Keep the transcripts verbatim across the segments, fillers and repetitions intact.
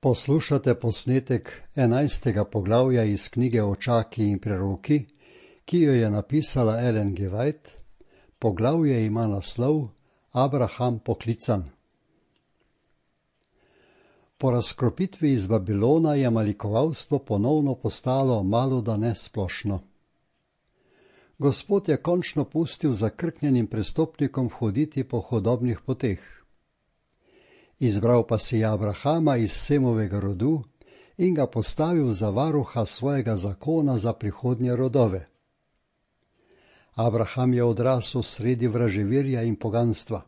Poslušate posnetek enajstega poglavja iz knjige Očaki in preroki, ki jo je napisala Ellen G. White. Poglavje ima naslov Abraham poklican. Po razkropitvi iz Babilona je malikovalstvo ponovno postalo malodane splošno. Gospod je končno pustil zakrknjenim prestopnikom hoditi po hodobnih poteh. Izbral pa si je Abrahama iz Semovega rodu in ga postavil za varuha svojega zakona za prihodnje rodove. Abraham je odrasel sredi vraževirja in poganstva.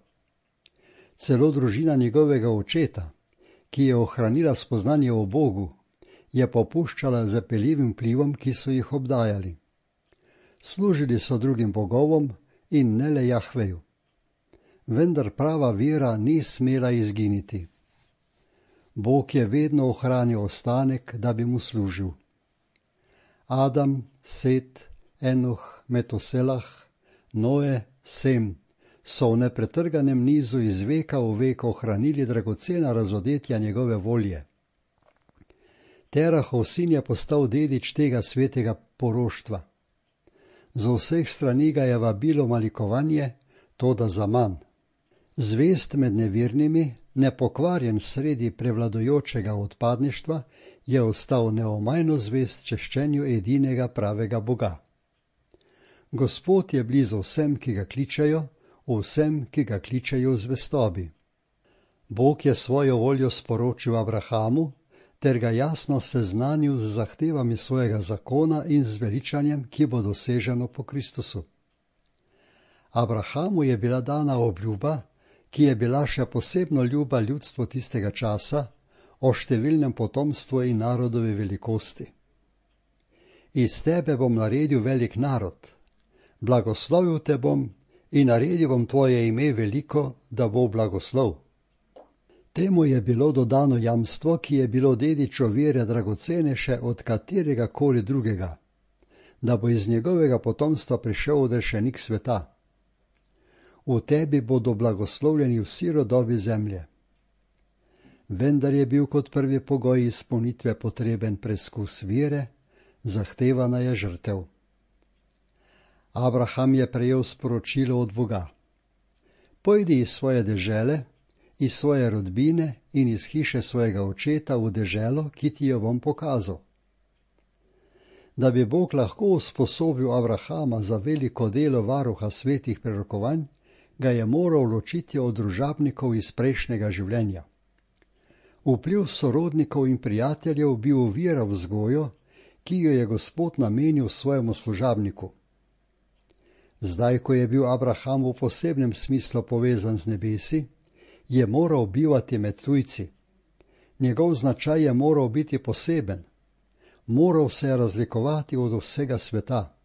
Celo družina njegovega očeta, ki je ohranila spoznanje o Bogu, je popuščala zapeljivim vplivom, ki so jih obdajali. Služili so drugim bogovom in ne le Jahveju. Vendar prava vera ni smela izginiti. Bog je vedno ohranil ostanek, da bi mu služil. Adam, Set, Enoh, Metuselah, Noe, Sem so v nepretrganem nizu iz veka v vek ohranili dragocena razodetja njegove volje. Terahov sin je postal dedič tega svetega poroštva. Z vseh strani ga je vabilo malikovanje, toda zaman. Zvest med nevernimi, nepokvarjen sredi prevladujočega odpadništva, je ostal neomajno zvest češčenju edinega pravega Boga. Gospod je blizu vsem, ki ga kličejo, vsem, ki ga kličejo v zvestobi. Bog je svojo voljo sporočil Abrahamu, ter ga jasno seznanil z zahtevami svojega zakona in z veličanjem, ki bo doseženo po Kristusu. Abrahamu je bila dana obljuba, ki je bila še posebno ljuba ljudstvo tistega časa, o številnem potomstvu in narodovi velikosti. Iz tebe bom naredil velik narod, blagoslovil te bom in naredil bom tvoje ime veliko, da bo blagoslov. Temu je bilo dodano jamstvo, ki je bilo dedičo vere dragocenejše od katerega koli drugega, da bo iz njegovega potomstva prišel odrešenik sveta. V tebi bodo blagoslovljeni vsi rodovi zemlje. Vendar je bil kot prvi pogoj izpolnitve potreben preskus vere, zahtevana je žrtev. Abraham je prejel sporočilo od Boga. Pojdi iz svoje dežele, iz svoje rodbine in iz hiše svojega očeta v deželo, ki ti jo bom pokazal. Da bi Bog lahko usposobil Abrahama za veliko delo varuha svetih prerokovanj, ga je moral ločiti od družabnikov iz prejšnjega življenja. Vpliv sorodnikov in prijateljev bi oviral vzgojo, ki jo je Gospod namenil svojemu služabniku. Zdaj, ko je bil Abraham v posebnem smislu povezan z nebesi, je moral bivati med tujci. Njegov značaj je moral biti poseben. Moral se je razlikovati od vsega sveta.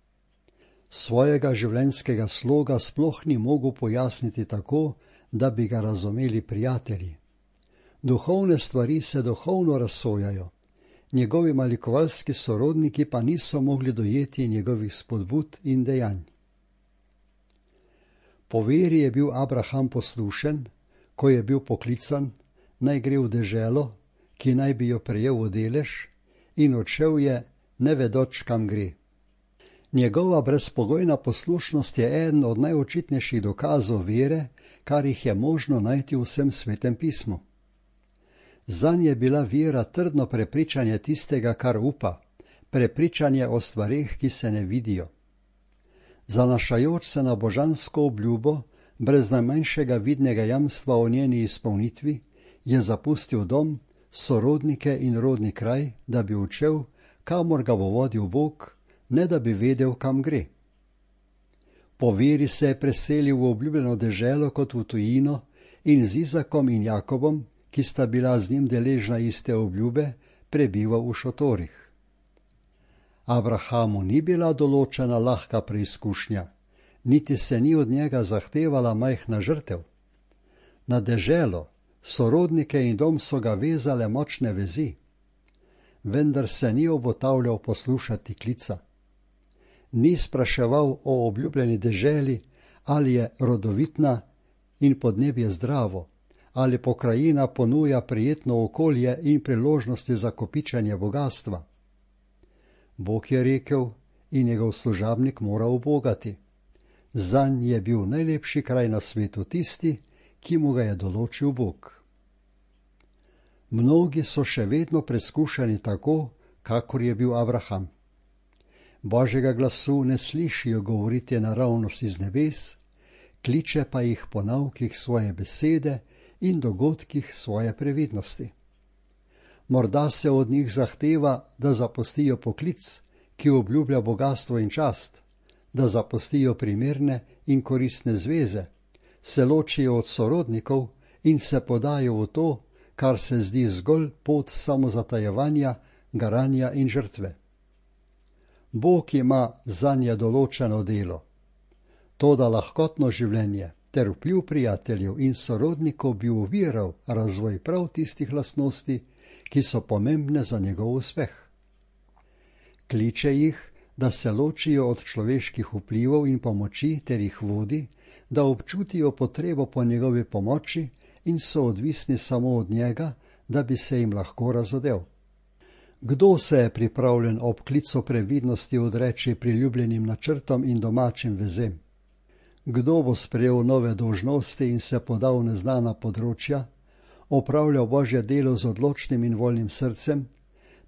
Svojega življenjskega sloga sploh ni mogel pojasniti tako, da bi ga razumeli prijatelji. Duhovne stvari se duhovno razsojajo, njegovi malikovalski sorodniki pa niso mogli dojeti njegovih spodbud in dejanj. Po veri je bil Abraham poslušen, ko je bil poklican, naj gre v deželo, ki naj bi jo prejel v delež, in odšel je, ne vedoč, kam gre. Njegova brezpogojna poslušnost je eden od najočitnejših dokazov vere, kar jih je možno najti v vsem svetem pismu. Zanj je bila vera trdno prepričanje tistega, kar upa, prepričanje o stvareh, ki se ne vidijo. Zanašajoč se na božansko obljubo, brez najmanjšega vidnega jamstva o njeni izpolnitvi, je zapustil dom, sorodnike in rodni kraj, da bi učel, kamor ga bo vodil Bog, ne da bi vedel, kam gre. Po veri se je preselil v obljubljeno deželo kot v tujino in z Izakom in Jakobom, ki sta bila z njim deležna iste obljube, prebival v šotorih. Abrahamu ni bila določena lahka preizkušnja, niti se ni od njega zahtevala majhna žrtev. Na deželo, sorodnike in dom so ga vezale močne vezi, vendar se ni obotavljal poslušati klica. Ni spraševal o obljubljeni deželi, ali je rodovitna in podnebje zdravo, ali pokrajina ponuja prijetno okolje in priložnosti za kopičenje bogatstva. Bog je rekel in njegov služabnik mora ubogati. Zanj je bil najlepši kraj na svetu tisti, ki mu ga je določil Bog. Mnogi so še vedno preskušani tako, kakor je bil Abraham. Božjega glasu ne slišijo govoriti naravnost iz nebes, kliče pa jih po naukih svoje besede in dogodkih svoje previdnosti. Morda se od njih zahteva, da zapustijo poklic, ki obljublja bogastvo in čast, da zapustijo primerne in koristne zveze, se ločijo od sorodnikov in se podajo v to, kar se zdi zgolj pot samozatajevanja, garanja in žrtve. Bog ima zanje določeno delo. Toda lahkotno življenje ter vpliv prijateljev in sorodnikov bi oviral razvoj prav tistih lastnosti, ki so pomembne za njegov uspeh. Kliče jih, da se ločijo od človeških vplivov in pomoči ter jih vodi, da občutijo potrebo po njegovi pomoči in so odvisni samo od njega, da bi se jim lahko razodel. Kdo se je pripravljen ob klicu previdnosti odreči priljubljenim načrtom in domačim vezem? Kdo bo sprejel nove dolžnosti in se podal v neznana področja, opravljal Božje delo z odločnim in voljnim srcem,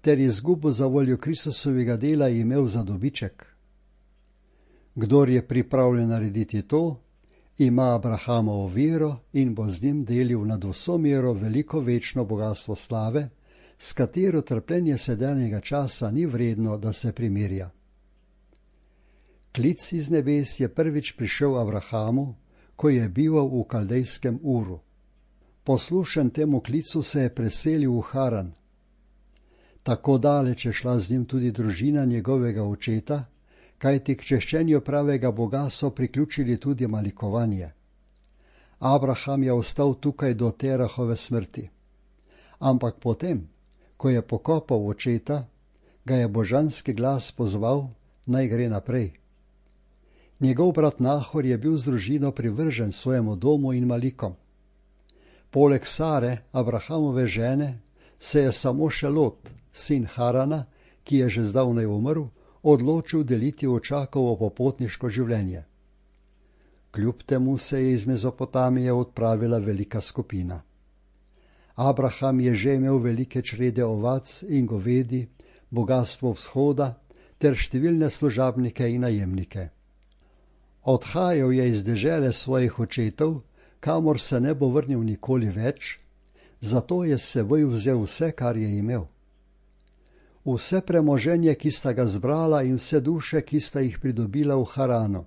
ter izgubo za voljo Kristusovega dela imel za dobiček? Kdor je pripravljen narediti to, ima Abrahamovo vero in bo z njim delil nad vso mero veliko večno bogastvo slave, s katero trpljenje sedanjega časa ni vredno, da se primerja. Klic iz nebes je prvič prišel Abrahamu, ko je bival v kaldejskem Uru. Poslušen temu klicu se je preselil v Haran. Tako daleč je šla z njim tudi družina njegovega očeta, kajti k češčenju pravega Boga so priključili tudi malikovanje. Abraham je ostal tukaj do Terahove smrti. Ampak potem, ko je pokopal očeta, ga je božanski glas pozval, naj gre naprej. Njegov brat Nahor je bil z družino privržen svojemu domu in malikom. Poleg Sare, Abrahamove žene, se je samo še Lot, sin Harana, ki je že zdavnaj umrl, odločil deliti očakovo popotniško življenje. Kljub temu se je iz Mezopotamije odpravila velika skupina. Abraham je že imel velike črede ovac in govedi, bogastvo vzhoda ter številne služabnike in najemnike. Odhajal je iz dežele svojih očetov, kamor se ne bo vrnil nikoli več, zato je s seboj vzel vse, kar je imel. Vse premoženje, ki sta ga zbrala, in vse duše, ki sta jih pridobila v Haranu.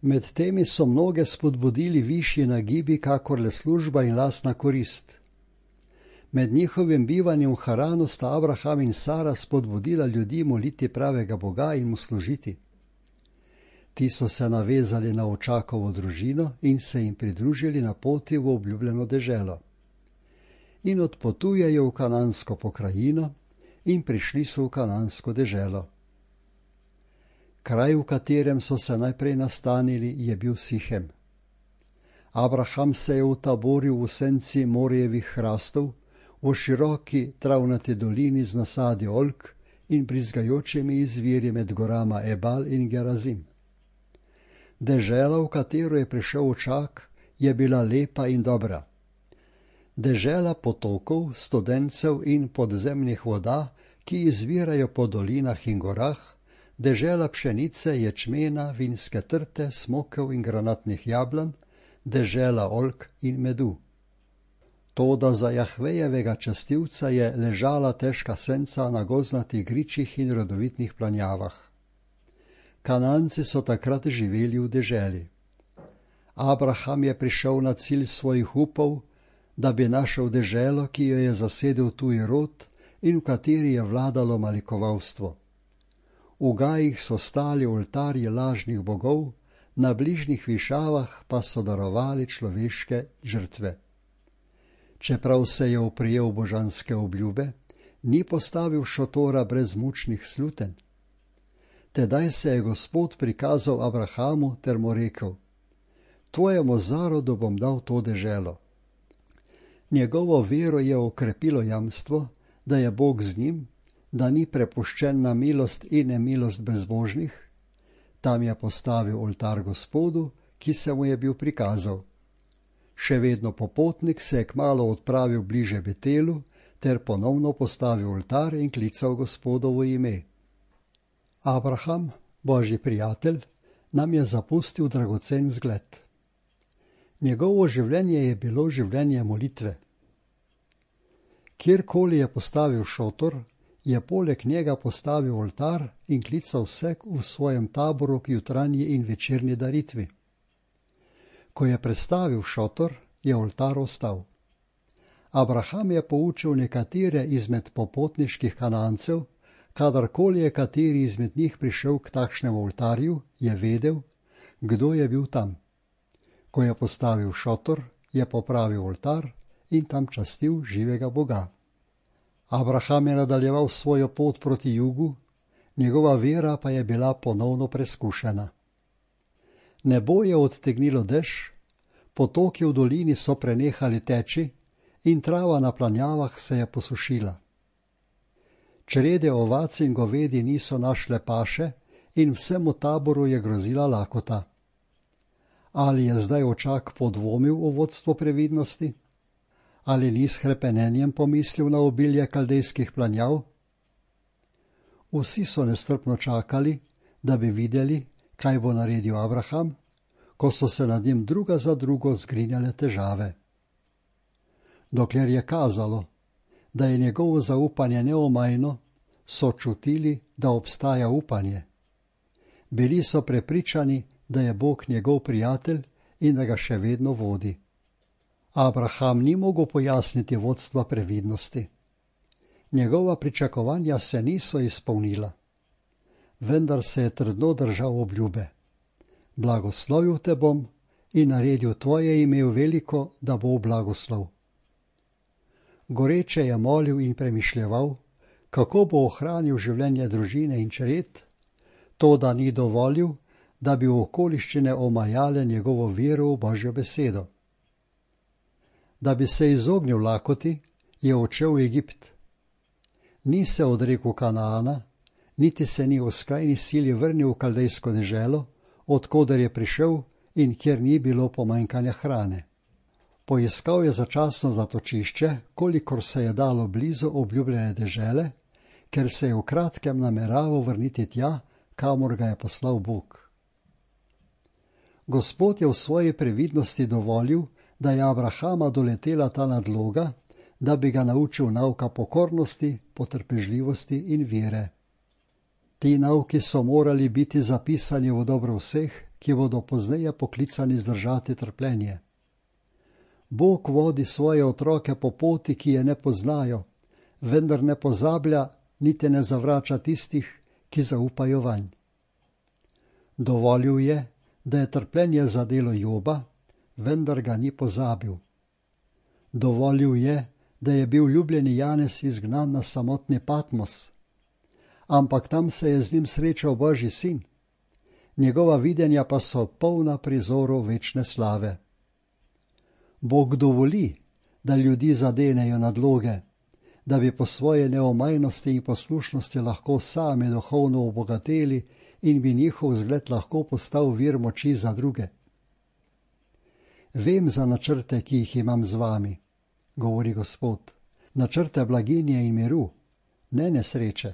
Med temi so mnoge spodbudili višji nagibi, kakor le služba in lastna korist. Med njihovim bivanjem v Haranu sta Abraham in Sara spodbudila ljudi moliti pravega Boga in mu služiti. Ti so se navezali na očakovo družino in se jim pridružili na poti v obljubljeno deželo. In odpotujejo v kanansko pokrajino in prišli so v kanansko deželo. Kraj, v katerem so se najprej nastanili, je bil Sihem. Abraham se je utaboril v senci Morjevih hrastov, v široki travnati dolini z nasadi oljk in brizgajočimi izviri med gorama Ebal in Gerazim. Dežela, v katero je prišel očak, je bila lepa in dobra. Dežela potokov, studencev in podzemnih voda, ki izvirajo po dolinah in gorah, dežela pšenice, ječmena, vinske trte, smokev in granatnih jablan, dežela oljk in medu. Toda za Jahvejevega častivca je ležala težka senca na gozdnatih gričih in rodovitnih planjavah. Kananci so takrat živeli v deželi. Abraham je prišel na cilj svojih upov, da bi našel deželo, ki jo je zasedel tuji rod in v kateri je vladalo malikovalstvo. V gajih so stali oltarji lažnih bogov, na bližnjih višavah pa so darovali človeške žrtve. Čeprav se je oprijel božanske obljube, ni postavil šotora brez mučnih sluten. Tedaj se je Gospod prikazal Abrahamu ter mu rekel: Tvojemu zarodu bom dal to deželo. Njegovo vero je okrepilo jamstvo, da je Bog z njim, da ni prepuščen na milost in nemilost bezbožnih. Tam je postavil oltar Gospodu, ki se mu je bil prikazal. Še vedno popotnik se je kmalu odpravil bliže Betelu ter ponovno postavil oltar in klical Gospodovo ime. Abraham, Božji prijatelj, nam je zapustil dragocen zgled. Njegovo življenje je bilo življenje molitve. Kjerkoli je postavil šotor, je poleg njega postavil oltar in klical vse v svojem taboru k jutranji in večerni daritvi. Ko je prestavil šotor, je oltar ostal. Abraham je poučil nekatere izmed popotniških Kanancev, kadarkoli je kateri izmed njih prišel k takšnemu oltarju, je vedel, kdo je bil tam. Ko je postavil šotor, je popravil oltar in tam častil živega Boga. Abraham je nadaljeval svojo pot proti jugu, njegova vera pa je bila ponovno preskušena. Nebo je odtegnilo dež, potoki v dolini so prenehali teči in trava na planjavah se je posušila. Črede ovac in govedi niso našle paše in vsemu taboru je grozila lakota. Ali je zdaj očak podvomil o vodstvu previdnosti? Ali ni s hrepenenjem pomislil na obilje kaldejskih planjav? Vsi so nestrpno čakali, da bi videli, kaj bo naredil Abraham, ko so se nad njim druga za drugo zgrinjale težave. Dokler je kazalo, da je njegovo zaupanje neomajno, so čutili, da obstaja upanje. Bili so prepričani, da je Bog njegov prijatelj in da ga še vedno vodi. Abraham ni mogel pojasniti vodstva previdnosti. Njegova pričakovanja se niso izpolnila, vendar se je trdno držal obljube. Blagoslovil te bom in naredil tvoje ime veliko, da bo blagoslov. Goreče je molil in premišljeval, kako bo ohranil življenje družine in čred, to da ni dovolil, da bi okoliščine omajale njegovo vero v Božjo besedo. Da bi se izognil lakoti, je odšel v Egipt. Ni se odrekel Kanaana, niti se ni v skrajni sili vrnil v kaldejsko deželo, odkoder je prišel in kjer ni bilo pomanjkanja hrane. Poiskal je začasno zatočišče, kolikor se je dalo blizu obljubljene dežele, ker se je v kratkem nameraval vrniti tja, kamor ga je poslal Bog. Gospod je v svoji previdnosti dovolil, da je Abrahama doletela ta nadloga, da bi ga naučil nauka pokornosti, potrpežljivosti in vere. Ti nauki so morali biti zapisani v dobro vseh, ki bodo pozneje poklicani zdržati trpljenje. Bog vodi svoje otroke po poti, ki je ne poznajo, vendar ne pozablja, niti ne zavrača tistih, ki zaupajo vanj. Dovolil je, da je trpljenje zadelo Joba, vendar ga ni pozabil. Dovolil je, da je bil ljubljeni Janez izgnan na samotni Patmos, ampak tam se je z njim srečal Božji sin. Njegova videnja pa so polna prizorov večne slave. Bog dovoli, da ljudi zadenejo nadloge, da bi po svoje neomajnosti in poslušnosti lahko sami duhovno obogateli in bi njihov zgled lahko postal vir moči za druge. Vem za načrte, ki jih imam z vami, govori Gospod, načrte blaginje in miru, ne nesreče.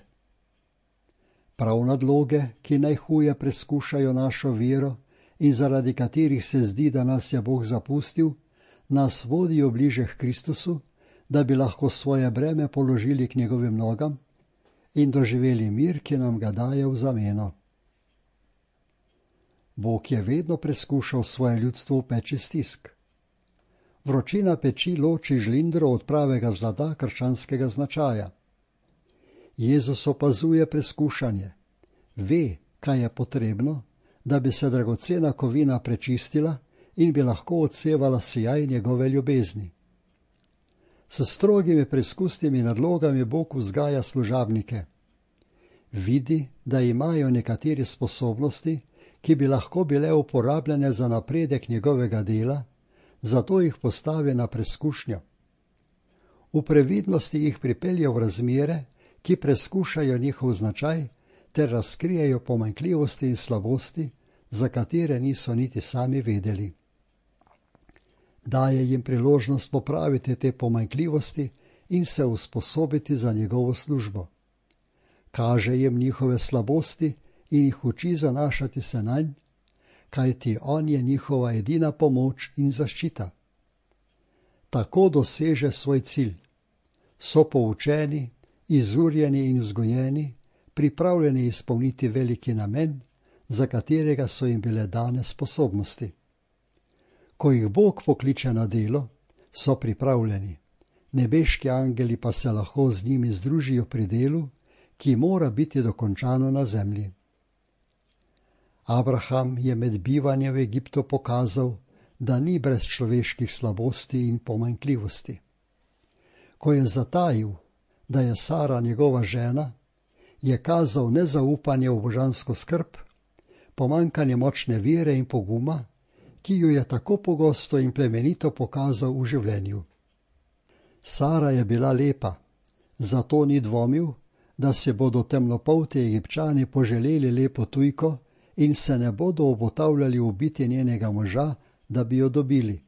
Prav nadloge, ki najhuje preskušajo našo vero in zaradi katerih se zdi, da nas je Bog zapustil, nas vodijo bliže k Kristusu, da bi lahko svoje breme položili k njegovim nogam in doživeli mir, ki nam ga daje v zameno. Bog je vedno preskušal svoje ljudstvo v peči stisk. Vročina peči loči žlindro od pravega zlata krščanskega značaja. Jezus opazuje preskušanje, ve, kaj je potrebno, da bi se dragocena kovina prečistila in bi lahko odsevala sijaj njegove ljubezni. S strogimi preizkusnimi nadlogami Bog vzgaja služabnike. Vidi, da imajo nekateri sposobnosti, ki bi lahko bile uporabljene za napredek njegovega dela, zato jih postavi na preizkušnjo. V previdnosti jih pripelje v razmere, ki preskušajo njihov značaj ter razkrijejo pomanjkljivosti in slabosti, za katere niso niti sami vedeli. Daje jim priložnost popraviti te pomanjkljivosti in se usposobiti za njegovo službo. Kaže jim njihove slabosti in jih uči zanašati se nanj, kajti on je njihova edina pomoč in zaščita. Tako doseže svoj cilj. So poučeni, izurjeni in vzgojeni, pripravljeni izpolniti veliki namen, za katerega so jim bile dane sposobnosti. Ko jih Bog pokliče na delo, so pripravljeni. Nebeški angeli pa se lahko z njimi združijo pri delu, ki mora biti dokončano na zemlji. Abraham je med bivanjem v Egiptu pokazal, da ni brez človeških slabosti in pomanjkljivosti. Ko je zatajil, da je Sara njegova žena, je kazal nezaupanje v božansko skrb, pomanjkanje močne vere in poguma, ki jo je tako pogosto in plemenito pokazal v življenju. Sara je bila lepa, zato ni dvomil, da se bodo temnopolti Egipčani poželeli lepo tujko in se ne bodo obotavljali ubiti njenega moža, da bi jo dobili.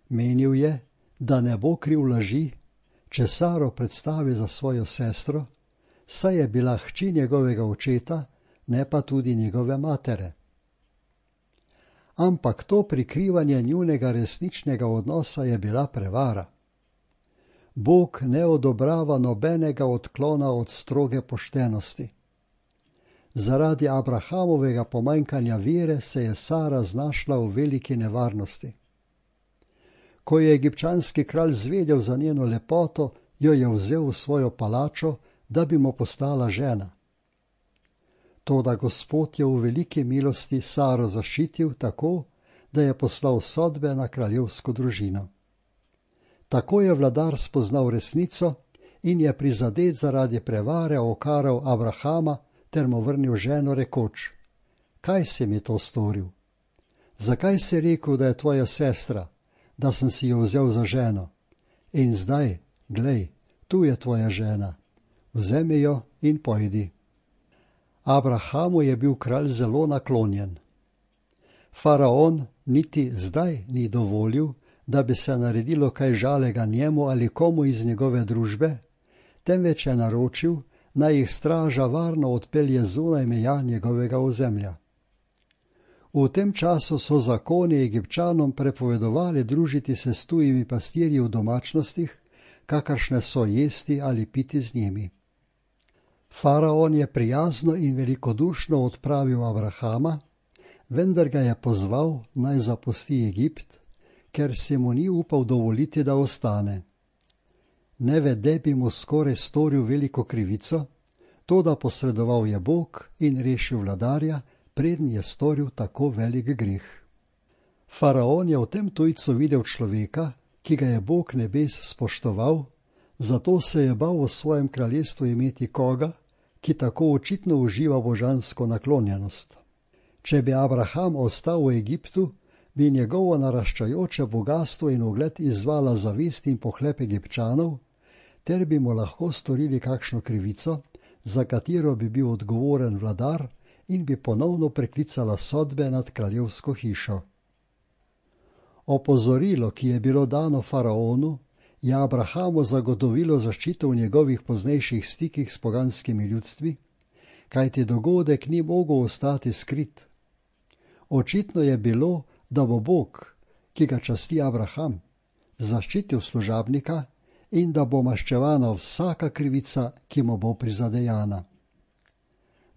Menil je, da ne bo kriv laži, če Saro predstavi za svojo sestro, saj je bila hči njegovega očeta, ne pa tudi njegove matere. Ampak to prikrivanje njunega resničnega odnosa je bila prevara. Bog ne odobrava nobenega odklona od stroge poštenosti. Zaradi Abrahamovega pomanjkanja vere se je Sara znašla v veliki nevarnosti. Ko je egipčanski kralj zvedel za njeno lepoto, jo je vzel v svojo palačo, da bi mu postala žena. Toda Gospod je v veliki milosti Saro zaščitil tako, da je poslal sodbe na kraljevsko družino. Tako je vladar spoznal resnico in je prizadet zaradi prevare okaral Abrahama ter mu vrnil ženo rekoč: Kaj si mi to storil? Zakaj si rekel, da je tvoja sestra, da sem si jo vzel za ženo? In zdaj, glej, tu je tvoja žena, vzemi jo in pojdi. Abrahamu je bil kralj zelo naklonjen. Faraon niti zdaj ni dovolil, da bi se naredilo kaj žalega njemu ali komu iz njegove družbe, temveč je naročil, naj jih straža varno odpelje zunaj meja njegovega ozemlja. V tem času so zakoni Egipčanom prepovedovali družiti se s tujimi pastirji v domačnostih, kakršne so jesti ali piti z njimi. Faraon je prijazno in velikodušno odpravil Abrahama, vendar ga je pozval, naj zapusti Egipt, ker se mu ni upal dovoliti, da ostane. Nevede bi mu skoraj storil veliko krivico, toda posredoval je Bog in rešil vladarja, preden je storil tako velik greh. Faraon je v tem tujcu videl človeka, ki ga je Bog nebes spoštoval, zato se je bal v svojem kraljestvu imeti koga, ki tako očitno uživa božansko naklonjenost. Če bi Abraham ostal v Egiptu, bi njegovo naraščajoče bogastvo in ugled izzvala zavist in pohlep Egipčanov, ter bi mu lahko storili kakšno krivico, za katero bi bil odgovoren vladar in bi ponovno preklicala sodbe nad kraljevsko hišo. Opozorilo, ki je bilo dano faraonu, je Abrahamu zagotovilo zaščito v njegovih poznejših stikih s poganskimi ljudstvi, kajti dogodek ni mogel ostati skrit. Očitno je bilo, da bo Bog, ki ga časti Abraham, zaščitil služabnika in da bo maščevana vsaka krivica, ki mu bo prizadejana.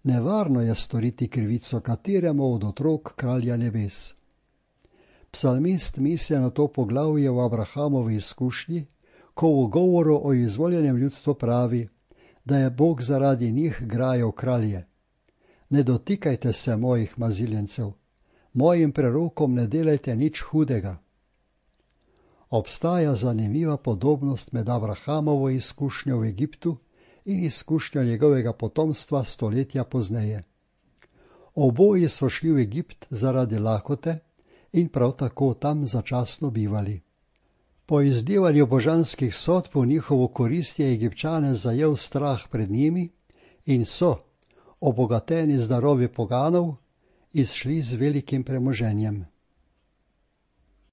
Nevarno je storiti krivico kateremu od otrok kralja nebes. Psalmist misli na to poglavje v Abrahamovi izkušnji, ko v govoru o izvoljenem ljudstvu pravi, da je Bog zaradi njih grajal kralje. Ne dotikajte se mojih maziljencev, mojim prerokom ne delajte nič hudega. Obstaja zanimiva podobnost med Abrahamovo izkušnjo v Egiptu in izkušnjo njegovega potomstva stoletja pozneje. Oboji so šli v Egipt zaradi lakote in prav tako tam začasno bivali. Po izlivanju božanskih sodb v njihovo korist je Egipčane zajel strah pred njimi in so, obogateni z darovi poganov, izšli z velikim premoženjem.